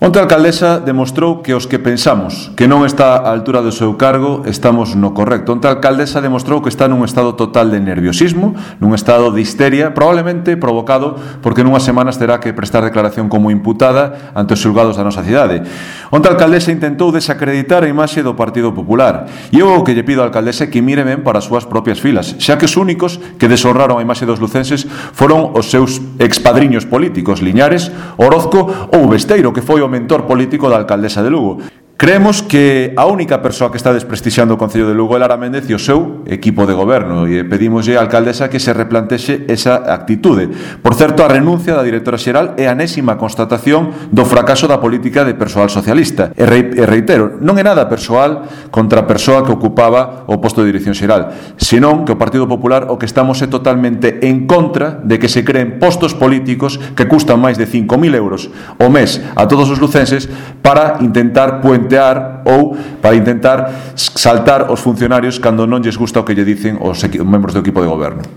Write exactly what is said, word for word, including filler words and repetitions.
Onte a alcaldesa demostrou que os que pensamos que non está á altura do seu cargo estamos no correcto. Onte a alcaldesa demostrou que está nun estado total de nerviosismo, nun estado de histeria, probablemente provocado porque nunhas semanas terá que prestar declaración como imputada ante os xulgados da nosa cidade. Onte a alcaldesa intentou desacreditar a imaxe do Partido Popular e eu o que lle pido á alcaldesa é que mire ben para as súas propias filas, xa que os únicos que deshonraron a imaxe dos lucenses foron os seus expadriños políticos, Liñares, Orozco ou Besteiro, que foi o mentor político da alcaldesa de Lugo. Creemos que a única persoa que está desprestixiando o Concello de Lugo é Lara Méndez e o seu equipo de goberno, e pedimoslle á alcaldesa que se replantexe esa actitude. Por certo, a renuncia da directora xeral é a enésima constatación do fracaso da política de persoal socialista. E reitero, non é nada persoal contra a persoa que ocupaba o posto de dirección xeral, senón que o Partido Popular o que estamos é totalmente en contra de que se creen postos políticos que custan máis de cinco mil euros ao mes a todos os lucenses para intentar puentear ou para intentar saltar os funcionarios cando non lles gusta o que lle dicen os membros do equipo de goberno.